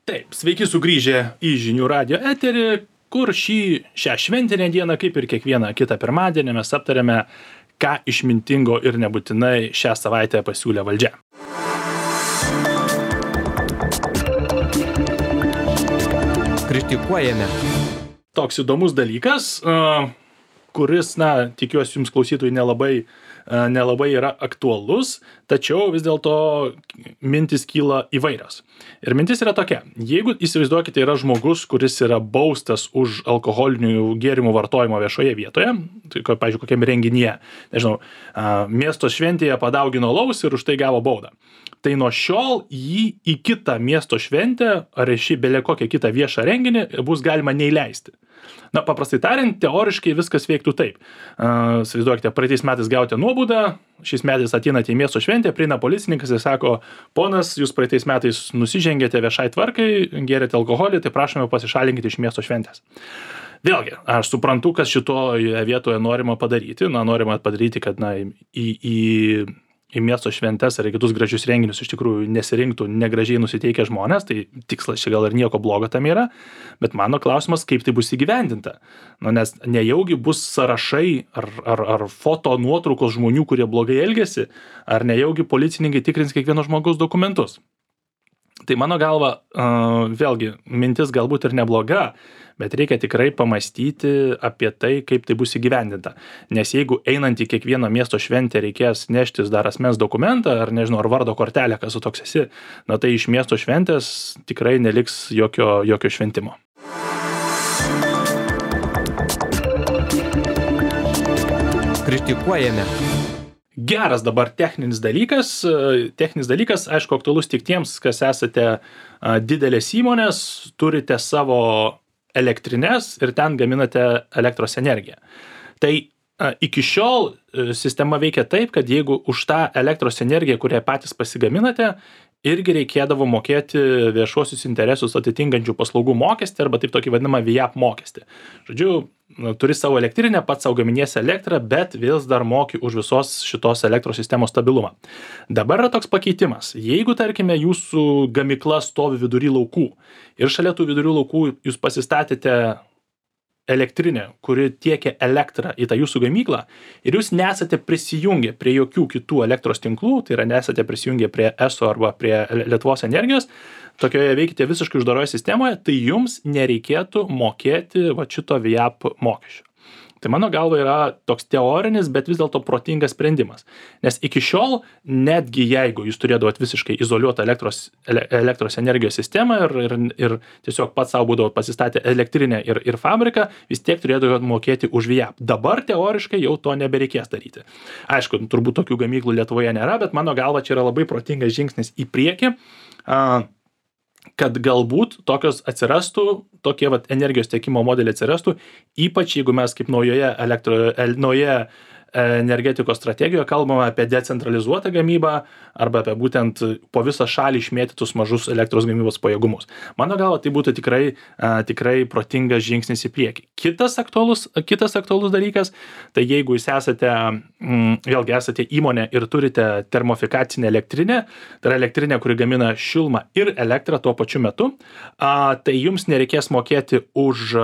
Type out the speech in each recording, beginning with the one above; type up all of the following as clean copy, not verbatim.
Taip, sveiki sugrįžę į žinių radijo eterį, kur šią šventinę dieną, kaip ir kiekvieną kitą pirmadienį, mes aptarėme, ką išmintingo ir nebūtinai šią savaitę pasiūlė valdžia. Kritikuojame. Toks įdomus dalykas, kuris, tikiuosi jums klausytojai nelabai yra aktualus, tačiau vis dėlto mintis kyla įvairios. Ir mintis yra tokia: jeigu įsivaizduokite, yra žmogus, kuris yra baustas už alkoholinių gėrimų vartojimą viešoje vietoje, tai, pavyzdžiui, kokiam renginyje, nežinau, miesto šventėje padaugino alaus ir už tai gavo baudą. Tai nuo šiol jį į kitą miesto šventę ar į belė kokią kitą viešą renginį bus galima neįleisti. Paprastai tariant, teoriškai viskas veiktų taip. Įsivaizduokite, praeitais metais gavote nuobaudą, šiais metais ateinate į miesto šventę, prieina policininkas ir sako: ponas, jūs praeitais metais nusižengėte viešai tvarkai, gėrėte alkoholį, tai prašome pasišalinkite iš miesto šventės. Vėlgi, aš suprantu, kas šitoje vietoje norima padaryti. Norima padaryti, kad į miesto šventes ar kitus gražius renginius iš tikrųjų nesirinktų negražiai nusiteikę žmonės, tai tikslas čia gal ir nieko blogo tam yra, bet mano klausimas, kaip tai bus įgyvendinta. Nes nejaugi bus sąrašai ar foto nuotraukos žmonių, kurie blogai elgiasi, ar nejaugi policininkai tikrins kiekvieno žmogaus dokumentus. Tai mano galva, vėlgi, mintis galbūt ir nebloga, bet reikia tikrai pamastyti apie tai, kaip tai bus įgyvendinta. Nes jeigu einant į kiekvieną miesto šventę reikės neštis dar asmens dokumentą, ar nežinau, ar vardo kortelę, kas su toks esi, tai iš miesto šventės tikrai neliks jokio šventimo. Kritikuojame. Geras dabar techninis dalykas, aišku, aktualus tik tiems, kas esate didelės įmonės, turite savo elektrines ir ten gaminate elektros energiją. Tai iki šiol sistema veikia taip, kad jeigu už tą elektros energiją, kurią patys pasigaminate, irgi reikėdavo mokėti viešuosius interesus atitinkančių paslaugų mokestį arba taip tokį vadinamą VIAP mokestį. Žodžiu, turi savo elektrinę, pats savo gaminiesi elektrą, bet vis dar moki už visos šitos elektros sistemos stabilumą. Dabar yra toks pakeitimas. Jeigu, tarkime, jūsų gamykla stovi vidury laukų ir šalia tų vidury laukų jūs pasistatėte elektrinę, kuri tiekia elektrą į tą jūsų gamyklą ir jūs nesate prisijungę prie jokių kitų elektros tinklų, tai yra nesate prisijungę prie ESO arba prie Lietuvos energijos, tokioje veikite visiškai uždaroje sistemoje, tai jums nereikėtų mokėti šito VIAP mokesčio. Tai mano galva yra toks teorinis, bet vis dėlto protingas sprendimas. Nes iki šiol, netgi jeigu jūs turėdavot visiškai izoliuotą elektros energijos sistemą ir tiesiog pats savo būdavo pasistatę elektrinę ir fabriką, vis tiek turėdavot mokėti už VIAP. Dabar teoriškai jau to nebereikės daryti. Aišku, turbūt tokių gamyklų Lietuvoje nėra, bet mano galva čia yra labai protingas žingsnis į priekį, kad galbūt tokios atsirastų, tokie energijos tiekimo modeliai atsirastų, ypač jeigu mes kaip naujoje energetikos strategijoje kalbame apie decentralizuotą gamybą arba apie būtent po visą šalį išmėtytus mažus elektros gamybos pajėgumus. Mano galva, tai būtų tikrai protingas žingsnis į priekį. Kitas aktualus dalykas, tai jeigu jūs esate įmonė ir turite termofikacinę elektrinę, tai yra elektrinė, kuri gamina šilumą ir elektrą tuo pačiu metu, tai jums nereikės mokėti už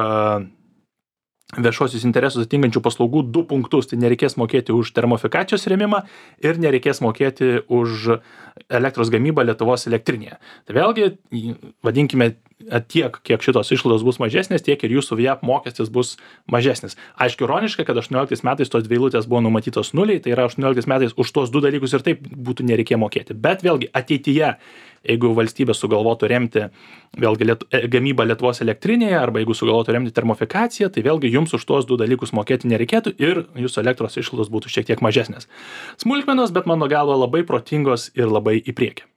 viešuosius interesus atitinkančių paslaugų 2 punktus. Tai nereikės mokėti už termofikacijos rėmimą ir nereikės mokėti už elektros gamybą Lietuvos elektrinėje. Tai vėlgi, vadinkime, tiek, kiek šitos išlaidos bus mažesnės, tiek ir jūsų VIAP mokestis bus mažesnis. Aišku, ironiška, kad 18 metais tos 2 eilutės buvo numatytos nuliai, tai yra 18 metais už tos 2 dalykus ir taip būtų nereikėjo mokėti. Bet vėlgi, ateityje, jeigu valstybė sugalvotų remti vėlgi gamybą Lietuvos elektrinėje arba jeigu sugalvotų remti termofikaciją, tai vėlgi jums už tuos 2 dalykus mokėti nereikėtų ir jūsų elektros išlaidos būtų šiek tiek mažesnės. Smulkmenos, bet mano galva labai protingos ir labai į priekį.